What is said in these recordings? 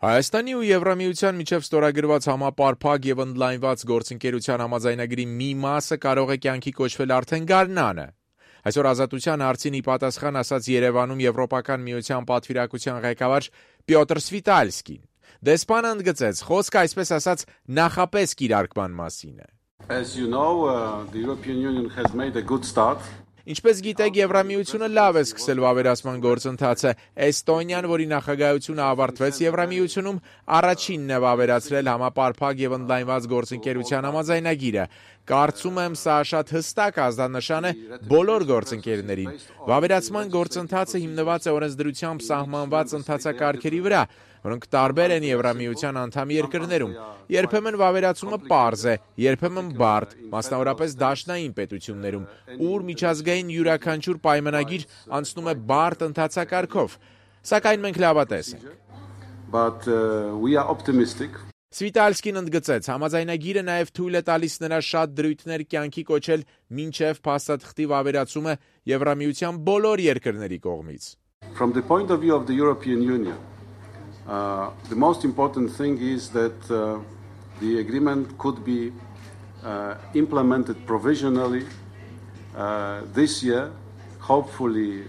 Հայաստանի ու Եվրամիության միջև ստորագրված համապարփակ եւ ընդլայնված գործընկերության համաձայնագրի մի մասը կարող է կյանքի կոչվել արդեն գարնանը։ Այսօր Ազատության հարցին ի պատասխան ասաց Երևանում Եվրոպական միության պատվիրակության ղեկավար Պյոտր Սվիտալսկին։ Դեսպանը ընդգծեց, խոսքը այսպես ասած նախապես կիրարկման մասին է։ As you know, the European Union has made a good start. Ինչպես գիտեք, Եվրամիությունը լավ է սկսել վավերացման գործընթացը։ Էստոնիան, որի նախագահությունը ավարտվեց Եվրամիությունում, առաջինն է վավերացրել համապարփակ եւ ընդլայնված գործընկերության համաձայնագիրը։ Կարծում եմ, սա շատ հստակ ազդանշան է բոլոր գործընկերներին։ Վավերացման գործընթացը հիմնված է օրենսդրությամբ սահմանված ընթացակարգերի վրա, որոնք տարբեր են Եվրամիության անդամ երկրներում։ Երբեմն վավերացումը պարզ է, երբեմն բարդ, մասնավորապես դաշնային պետություններում, ուր միջազգային յուրաքանչյուր պայմանագիր անցնում է բարդ ընթացակարգով։ Սակայն մենք լավատես ենք։ But we are optimistic. Սվիտալսկին ընդգծեց, համաձայնագիրը նաև թույլ է տալիս նրա շատ դրույթներ կյանքի կոչել մինչև փաստաթղթի վավերացումը Եվրամիության բոլոր երկրների կողմից։ From the point of view of the European Union, the most important thing is that the agreement could be implemented provisionally this year, hopefully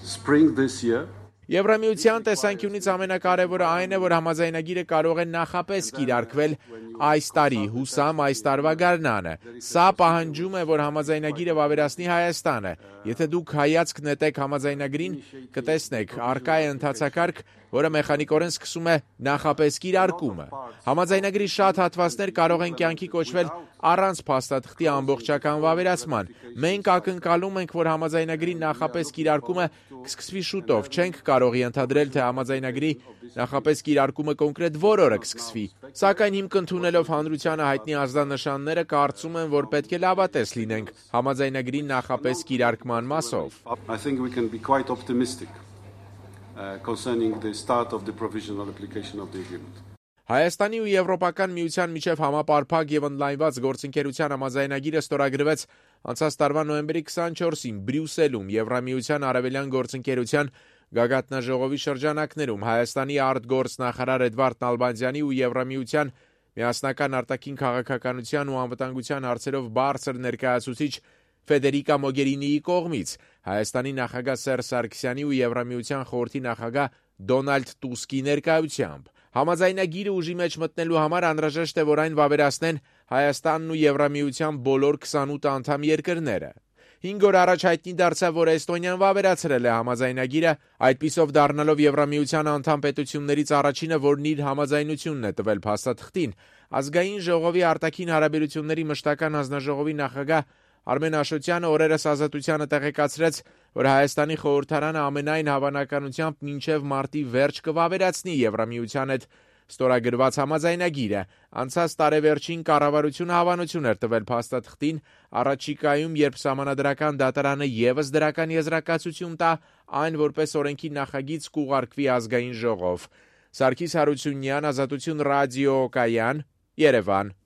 spring this year. Եվրամիության տեսանկյունից ամենակարևորը այն է, որ համաձայնագիրը կարող է նախապես կիրարկվել այս տարի, հուսամ այս տարվա գարնանը։ Սա պահանջում է, որ համաձայնագիրը վավերացնի Հայաստանը։ Եթե դուք հայացք նետեք համաձայնագրին, կտեսնեք, առկա է ընթացակարգ, որը մեխանիկորեն սկսում է նախապես կիրարկումը։ Համաձայնագրի շատ հատվածներ կարող են կյանքի կոչվել առանց փաստաթղթի ամբողջական վավերացման։ Մենք ակնկալում ենք, որ համաձայնագրի նախապես կիրարկումը կսկսվի շուտով։ Չենք կարող ենթադրել, թե համաձայնագրի նախապես կիրարկումը կոնկրետ որ օրը կսկսվի։ Սակայն հիմք ընդունելով հանրությանը հայտնի ազդանշանները, կարծում եմ, որ պետք է լավատես լինենք համաձայնագրի նախապես կիրարկման մասով։ I think we can be quite optimistic concerning the start of the provisional application of the agreement. Հայաստանի ու Եվրոպական միության միջև համապարփակ եւ ընդլայնված գործընկերության համաձայնագիրը ստորագրվեց անցած տարվա նոյեմբերի 24-ին Բրյուսելում Եվրամիության արևելյան գործընկերության գագաթնաժողովի շրջանակներում Հայաստանի արտգործնախարար Էդվարդ Նալբանդյանի ու Եվրամիության միասնական արտաքին քաղաքականության ու անվտանգության հարցերով բարձր ներկայացուցիչ Ֆեդերիկա Մոգերինիի կողմից, Հայաստանի նախագահ Սերժ Սարգսյանի ու Եվրամիության խորհրդի նախագահ Դոնալդ Տուսկի ներկայությամբ։ Համաձայնագիրը ուժի մեջ մտնելու համար անհրաժեշտ է, որ այն վավերացնեն Հայաստանն ու Եվրամիության բոլոր 28 անդամ երկրները։ 5 օր առաջ հայտնի դարձավ, որ Էստոնիան վավերացրել է համաձայնագիրը, այդպիսով դառնալով Եվրամիության անդամ պետություններից առաջինը, որն իր համաձայնությունն է տվել փաստաթղթին։ Ազգային ժողովի արտաքին հարաբերությունների մշտական հանձնաժողովի նախագահ Արմեն Աշոտյանը օրերս Ազատությանը տեղեկացրեց, որ Հայաստանի խորհրդարանը ամենայն հավանականությամբ մինչև մարտի վերջ կվավերացնի Եվրամիության հետ ստորագրված համաձայնագիրը։ Անցած տարեվերջին կառավարությունը հավանություն էր տվել փաստաթղթին, առաջիկայում, երբ սահմանադրական դատարանը ևս դրական եզրակացություն տա, այն որպես օրենքի նախագիծ կուղարկվի ազգային ժողով։ Սարգիս Հարությունյան, Ազատություն ռադիո կայան, Երևան։